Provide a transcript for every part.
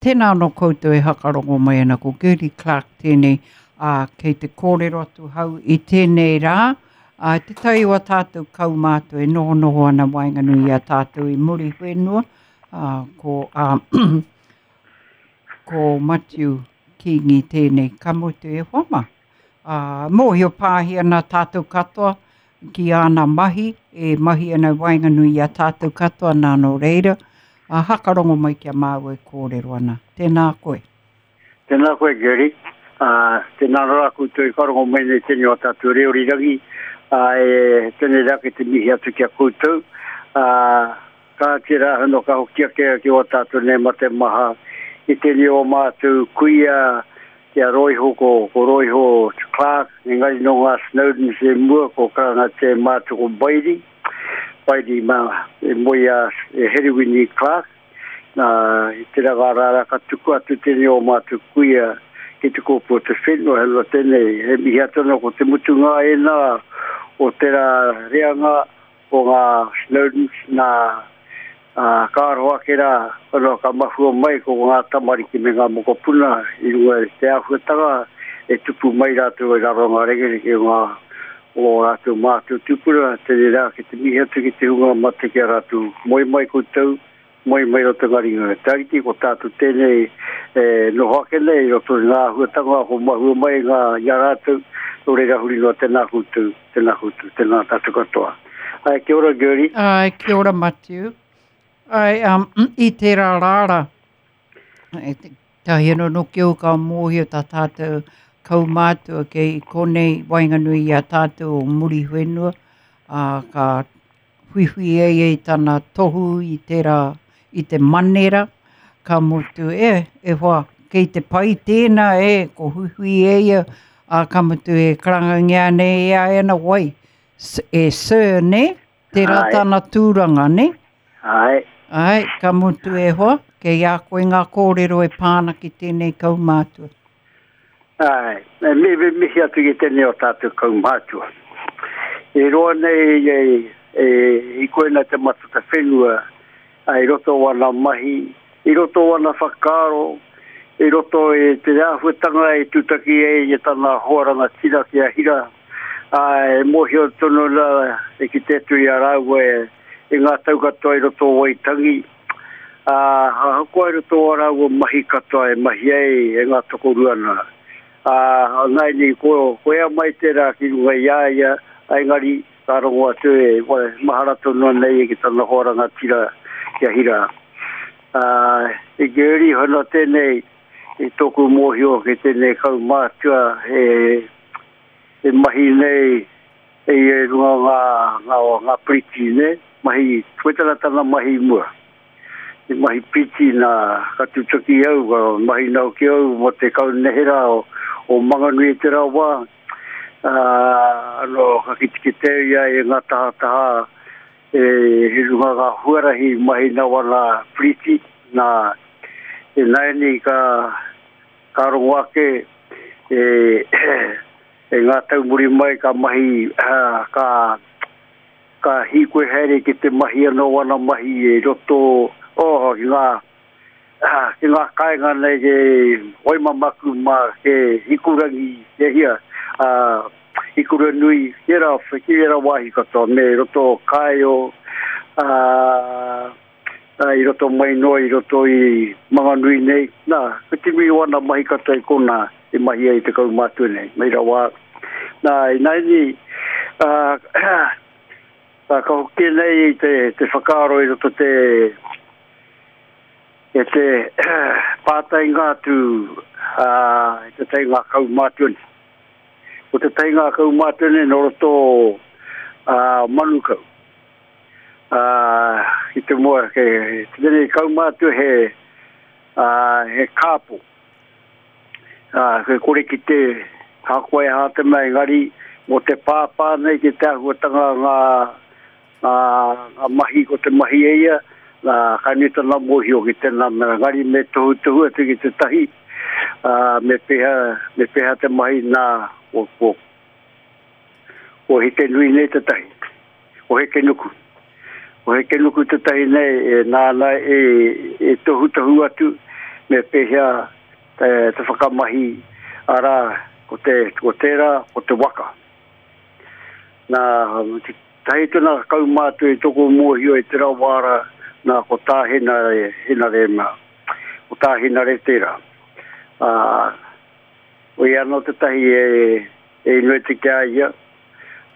Tēnā anō koutou e hakarongo mai ana, ko Gertie Clark tēnei, ā, kei te kōrero atu hau i tēnei rā, ā, te tai o a tātou kaumātua e nohonoho ana waenganui i a tātou i Muriwhenua, ā, ko, ā, ko Matiu Kīngi tēnei, ka mutu e hoa mā. Ā, mōhio pāhi ana tātou katoa ki āna mahi, e mahi ana i waenganui i a tātou katoa nā nō reira, ā, hakarongo mai ki a māua e kōrero ana. Tēnā koe. Tēnā koe, Gerry. Ā, tēnā rā koutou i whakarongo mai nei tēnei o tātou reo rirangi, ā, e, tēnei rā kei te mihi atu ki a koutou. Ā, kāti rā anō ka hoki ake ki ō tātou nei mate maha i tēnei o mātou kuia, Ki a Roiho, ko, ko Roiho Clark, engari nō ngā Snowdens e mua, ko Karangatia e mātou ko Bailey, Bailey mā, e moe a e Herewini Clark, nā, i te ranga rāra ka tuku atu tēnei o mātou kuia ki te kōpū o te whenua, he rua tēnei, he mihi atu anō ko te mutunga ēnā o tērā reanga o ngā Snowdens, nā, ā, ka aroha ake rā, anō ka mahua mai ko ngā tamariki me ngā mokopuna i runga i te āhuatanga e tupu mai rātou i raro ngā rekereke o ngā o ō rātou mātua tūpuna, tēnei rā ki te mihi atu ki te hunga mate ki a rātou, moe mai koutou, moe mai roto ngā ringa. Te Ariki, ko tātou tēnei e noho ake nei i roto i ngā āhuatanga ko mahua mai ngā i a rātou, nō reira huri noa tēnā koutou. Tēnā koutou, tēnā tātou katoa. Ai, kia ora, Gertie. Ai, kia ora, Matiu. Ai, um, i tērā rāra, e te, tahi anō noki au ka mōhio tā tātou kaumātua kei konei waenganui i a tātou o Muriwhenua, ā, ka whiwhi e ia i tana tohu i tērā, i te manera, ka mutu, e, e hoa, kei te pai tēnā, e, ko huihui e ia, ā, ka mutu e karangangia ana e ia ana wai, e sir, nē? Tērā tana tūranga, nē? Āe. Āe, ka mutu e hoa, kei a koe ngā kōrero e pā ana ki tēnei kaumātua. Āe, me me mihi atu ki tēnei o tātou kaumātua. E roa nei e, e, i koena te matata whenua, a, i roto o ana mahi, i roto o ana whakaaro, i roto i te āhuatanga e tūtaki ai i tana hoa rangatira ki a Hira, ā, e mōhio tonu ana e kite atu i a rāua e, i ngā tau katoa i roto o Waitangi, Ā, ahakoa i roto o ā rāua mahi katoa e mahi ai e ngā tokorua nā, ā, nāianei ko, ko ea mai tērā ki runga i a ia, ā, engari ka rongo atu e, mahara tonu ana ia ki tana hoa rangatira ki a Hira. Ā, i Gertie hono tēnei, i tōku mōhio ki tēnei kaumātua e, e mahi nei e ia i runga o ngā, ngā, ngā piriti, nē, mahi, koe tana tana mahi i mua. I mahi piriti nā, ka tūtaki au, ka mahi nau ki au mō te kaunihera o, o Manganui i tērā wā. Ā, anō, ka kitekite au i a ia i ngā tahataha e, i runga ngā huarahi mahi nau ana piriti, nā, ināianei ka, ka rongo ake e, E ngā tau muri mai ka mahi, ka, ka hīkoi haere ki te mahi anō ana mahi i roto, oh, ki ngā, ki ngā kāinga nei ke Waimamaku mā, ke Hikurangi, ke hia, ā, Hikuranui, ki ērā, ki ērā wāhi katoa, me roto o Kāeo, ā, ā, i roto mai noa i roto i Manganui nei. Nā, ko te nui o ana mahi katoa i konā i mahi ai te kaumātua nei, mai rawa. Nā, ināianei, ā, ka hoki nei te, te whakaaro i roto te, e te pātainga atu ā, i te tai ngā kaumātua nei. Ko te tai ngā kaumātua nei nō roto ā, Manukau. Ā, i te mua, ke, te tēnei kaumātua he, ā, he kāpo. Ā, he kore ki te hakoa e hā te mea, engari, mō te pāpā nei ki te āhuatanga ngā, ngā, ngā mahi ko te mahi e ia, nā, ka nui tana mōhio ki tēnā mea, engari me tohutohu atu ki tētahi, ā, me pēhea, me pēhea te mahi nā, ko, ko, ko Hekenui nei tētahi. o Hekenuku. O Hekenuku tētahi nei e nāna e, e tohutohu atu, me pēhea te, te whakamahi, arā, ko te, ko tērā, ko te waka. Nā, te tahi tona kaumātua i toko mōhio i te rawāra, nā, ko tā Henare, Henare mā, ko tā Henare tērā. Ā, ko ia anō tētahi e, e inoi te ki a ia,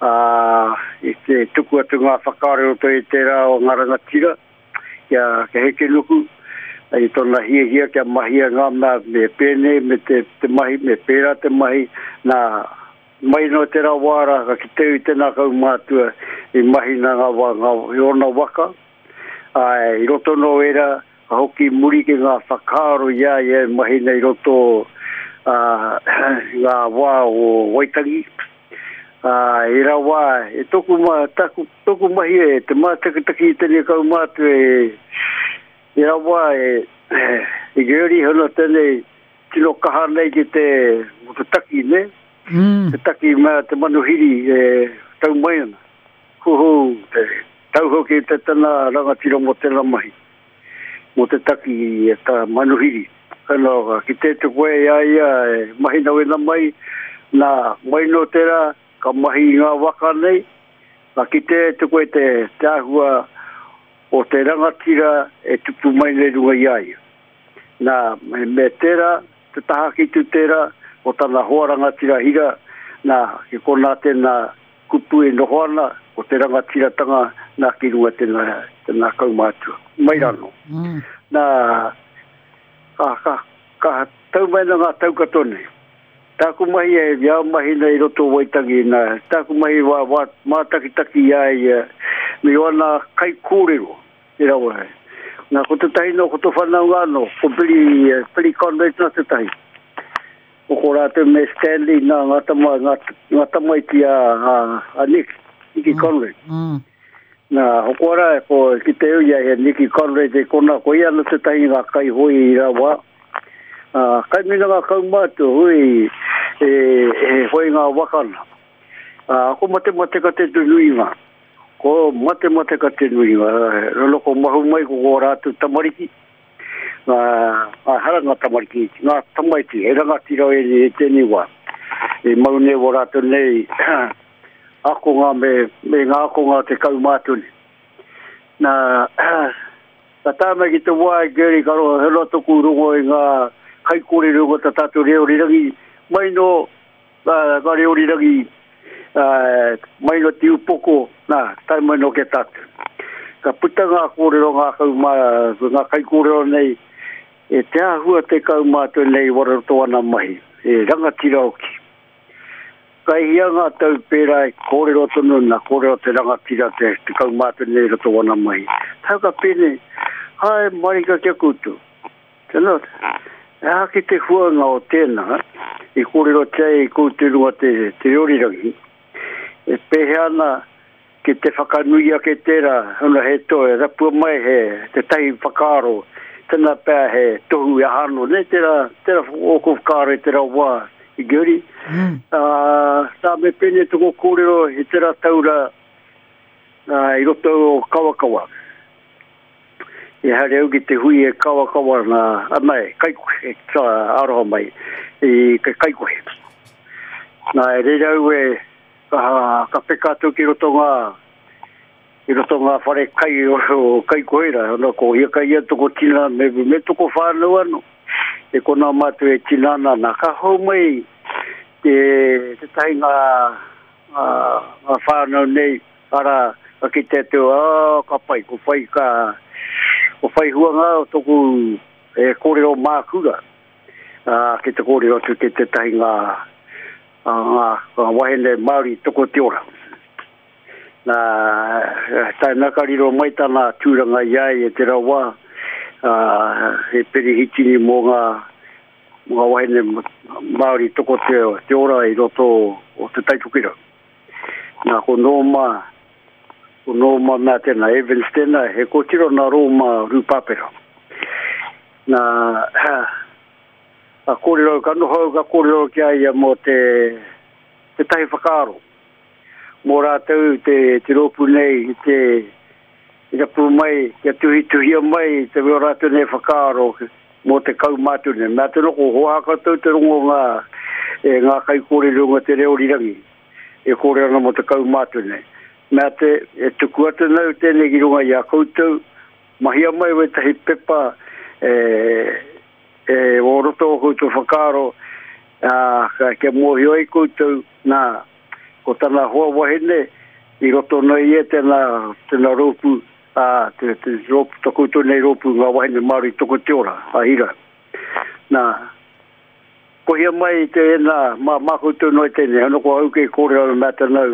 ā, i te tuku atu ngā whakaaro i roto i tērā o ngā rangatira, kia, kia heke nuku, i tōna hiahia kia mahia ngā mea me pēnei, me te, te mahi, me pērā te mahi, nā, Mai no tera wā ra ka kite i tena kaumātua i mahi na nga wa nga i ona waka, ae i roto no era ka hoki muri ki nga whakaaro i a ia e mahi nei roto a nga wā o Waitangi. A i era wā e toku ma taku toku mahi e te mātakitaki i tenei kaumātua e i era wā e i Gurley hono tenei tino kaha nei ki te, mo te taki, ne? Mm. Te taki mea te manuhiri e tau mai ana. Huhu, te tau hoki te tana rangatira mo tena mahi. Mo te taki e ta manuhiri. Ano, ki te te koe i a ia e mahi na wena mai, na mai no tera ka mahi i ngā waka nei, ka kite te koe te, te ahua o te rangatira e tupu mai nei runga i a ia. Nā, me tērā, te taha ki tu tērā, o tana hoa rangatira hira, nā, ki konā tēnā kupu e noho ana, ko te rangatiratanga nā ki runga tēnā, tēnā kaumātua. Mai rano. Mm. Nā, ka, ka, ka tau mai na ngā tau katoa nei. Tāku mahi e, i a mahi nei i roto Waitangi, nā, tāku mahi wā, wā, mātakitaki i a ia, me wana kaikōrero, Te rawa he. Nā, ko tētahi nō, ko tō whanaunga anō, ko Billy, eh, Billy Conrad nā tētahi. Ko ko rātou me Stanley, nā, ngā tama, ngā, ngā tamaiti a, a, a Nick, Nicky mm. Conrad. Mm. Nā, hoko ara, ko ki te ui a Nicky Conrad e kona, ko ia anō tētahi ngā kaihoi i rawa. Uh, kai mina ngā kaumātua, hui, e, e hoi ngā wakana. Uh, ko matemateka te nuinga. Ko matemateka te nuinga, rono ko mahu mai ko ko rātou tamariki, ngā, ngā hara ngā tamariki, ngā tamaiti, he rangatira e, e tēnei wā. E mau nei o rātou nei akonga me, me ngā akonga te kaumātua nei. Nā, ka tae mai ki te wā e Gary, ka roa, he roa toku rongo i ngā kaikōrero o tā tātou reo rirangi, mai no Nā, ka reo rirangi, mai no te upoko, nā, tae mai no ki a tātou. Ka puta ngā kōrero ngā kaumā, ngā kaikōrero nei, e te āhua te kaumātua nei wararoto ana mahi, e rangatira hoki. Ka hia ngā tau pērā e kōrero tonu nā kōrero te rangatira te, te kaumātua nei roto wana mahi. Tau ka pēnei, hae marika ki a koutou. Tēnā, he aha ki te huanga o tēnā i kōrerotia ai koutou i runga te, te reo rirangi, e pēhea ana ki te whakanui ake tērā, ona he toi, rapua mai he tētahi whakaaro, tēnā pea he tohu e aha anō, nei tērā, tērā ōku whakaaro i tērā wā i Guri. Mm. Uh, tā me pēnei toko kōrero i tērā taura uh, i roto o Kawakawa. I haere au ki te hui e kawakawa ana, ana e kaikohe, e aroha mai, i ke kaikohe. Nā, e reira au e, ka, ka peka atu ki roto ngā, i roto ngā whare kai o, o kaikohe rā, ona ko hia kai ia toko tina me, me toko whānau anō. E kona mātou e tina ana, nā, ka hou mai te, tētahi ngā, ngā, ngā whānau nei, Arā, ka kite atu, ā, ka pai, ko whai ka, ko whai huanga o toku e kōrero mākura, ā, ki te kōrero atu ki tētahi ngā, ngā, ngā wahine Māori toko te ora. Nā, tae nā ka riro mai tana tūranga i a ia te rawa, ā, he perehitini mō ngā, mō ngā wahine Māori toko te, te ora i roto o Te Taitokerau. Nā, ko Nōma, ko Nōma mea tēnā, Evans tēnā, he kōtiro nā Rōma Rūpāpera. Nā, ka kōrero, ka noho au, ka kōrero ki a ia mō te, tētahi whakaaro. Mō rātou te, te rōpū nei, i te, i rapu mai, kia tuhituhia mai te o rātou nei whakaaro. mō te kaumātua nei. Mea tēnā ko hoa koutou te rongo ngā, e ngā kaikōrero runga te reo rirangi e kōrero ana mō te kaumātua nei. Mea te, e tuku atu nau tēnei ki runga i a koutou, mahia mai wētahi pepa e, e o roto o koutou whakaaro, ā, kia mōhio ai koutou, nā, ko tana hoa wahine i roto nei ia tēnā, tēnā rōpū, ā, te, te rōpū, to koutou nei rōpū ngā wahine Māori toko te ora, a Hira. Nā, kohia mai tēnā, mā, mā koutou noa tēnei, ano ko au kei kōrero ana mea tēnā,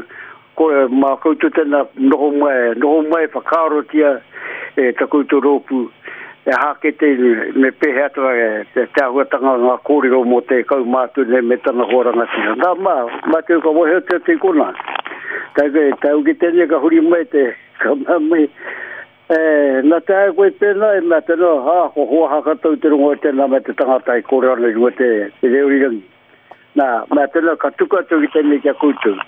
ko, mā koutou tēnā noho mai, noho mai whakaarotia e ta koutou rōpū, e hāke te, me pēhea atu e, te, te āhuatanga ngā kōrero mō te kaumātua nei me tana hoa rangatira. Nā, mā, mā te ka wahi atu atu i kona. Tā koe, tā uki tēnei ka huri mai te, ka mea mai, e, nā te ae koe pēnā, e mea tēnā, hā, ko hoa haka tau te rongo e tēnā me te tangata e kōrero ana i runga te, te reo rirangi. Nā, mea tēnā, ka tuku atu ki tēnei ki a koutou.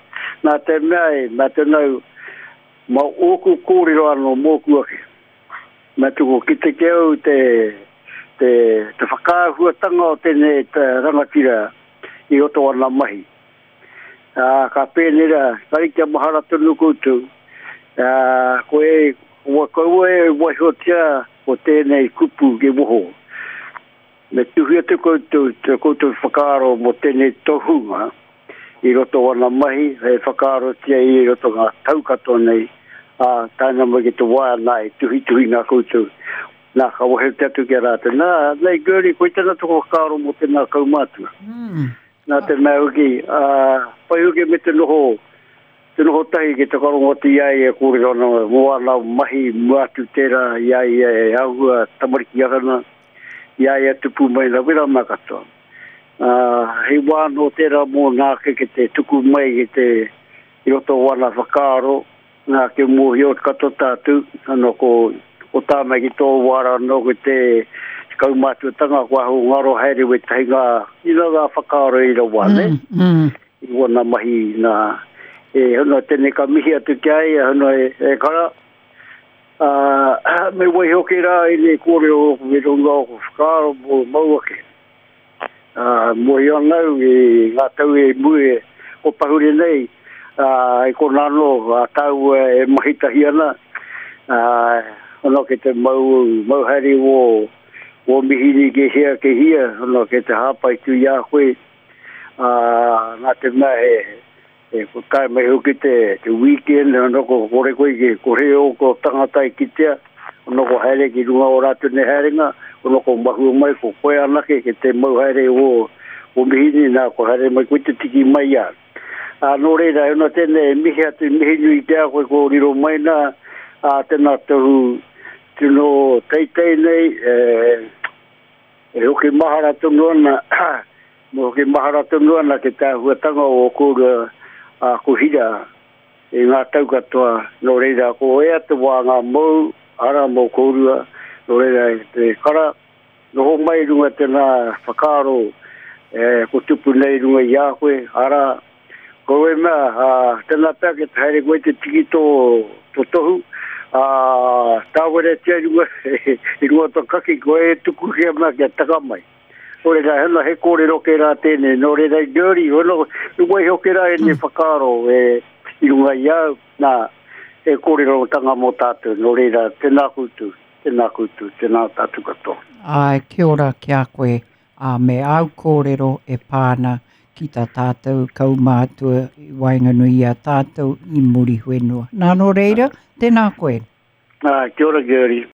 Nā te mea e, mea tēnā, mā ōku kōrero anō mōku ake. Me tuku kite ki au te, te, te whakaahuatanga o tēnei te rangatira i roto ana mahi. Ā, ka pēnei rā, kari kia mahara tonu koutou, ā, koe, kua kaua e waihotia ko tēnei kupu ki waho. Me tuhi atu koutou te koutou whakaaro mō tēnei tohunga i roto o ana mahi, hei whakaarotia i roto ngā tau katoa nei, ā, tae noa mai ki te wā nā e tuhituhi nā koutou. Nā, ka wehe te atu ki a rātou. Nā, nei Gertie, koe tēnā toko whakaaro mō tēnā kaumātua. Mm. Nā te mea hoki, ā, pai hoki me te noho, te noho tahi ki te whakarongo atu i a ia e kōrero ana mō ana mahi mua atu tērā i a ia e āhua tamariki ana, i a ia tupu mai na wera mā katoa. Ā, hei wā anō tērā mōna ake ki te tuku mai ki te i roto o ana whakaaro, nā kia mōhio katoa tātou, anō ko, ko tāna ki tō wā rā anō ki te kaumātuatanga kua ahu ngaro haere wētahi ngā, you know, ngā whakaaro i rawa, mm, ne? Mm. I wana mahi nā, e hono tēnei ka mihi atu ki a ia, hono e, e kara, Ā, me waiho hoki rā ēnei kōrero ōku i runga o ōku whakaaro mō mau ake. Ā, mōhio ana au i ngā tau e mua e ko pahure nei, ā, i konā anō a tāua e mahi tahi ana, ā, ono ki te mau, mau haere wō, wō mihini ki hea ki hea, ono ki te hāpai tū i a koe, ā, nā te mea he, E ko tae mai hoki te, te weekend, ono ko kore koe ki, kore o ko tangata i kitea, ono ko haere ki runga o rātou nei haerenga, ono ko mahua mai ko koe anake ki te mau haere o, o mihini, nā ko haere mai koe te tiki mai a. Ā, nō reira, e ona tēnei, e mihi atu, mihi nui ki a koe ko riro mai nā, ā, tēnā tohu tino teitei nei, e, e hoki mahara tonu ana, Mō hoki mahara tonu ana ki te āhuatanga o kōrua a ko Hira i ngā tau katoa, nō reira ko ea te wā ngā mou, ara mō kōrua, nō reira e te kara, noho mai i runga tēnā whakaaro e ko tupu nei i runga i a koe, ara, ko e mea, ā, tēnā pea ki te haere koe te tiki tō, tō tohu, ā, tāweretia i runga, i runga tō kaki, koe e tuku kia mea kia taka mai. Nō reira, hana he kōrero kē rā tēnei, nō reira i Dirty, hono, i waiho kē rā ēnei mm. whakaaro e, i runga i au, nā, e kōrerotanga mō tātou, nō reira, tēnā koutou, tēnā koutou, tēnā tātou katoa. Āe, kia ora ki a koe, ā, me āu kōrero e pā ana ki tā tātou kaumātua i waenganui i a tātou i Muriwhenua. Nā, nō reira, tēnā koe. Ā, kia ora Gertie.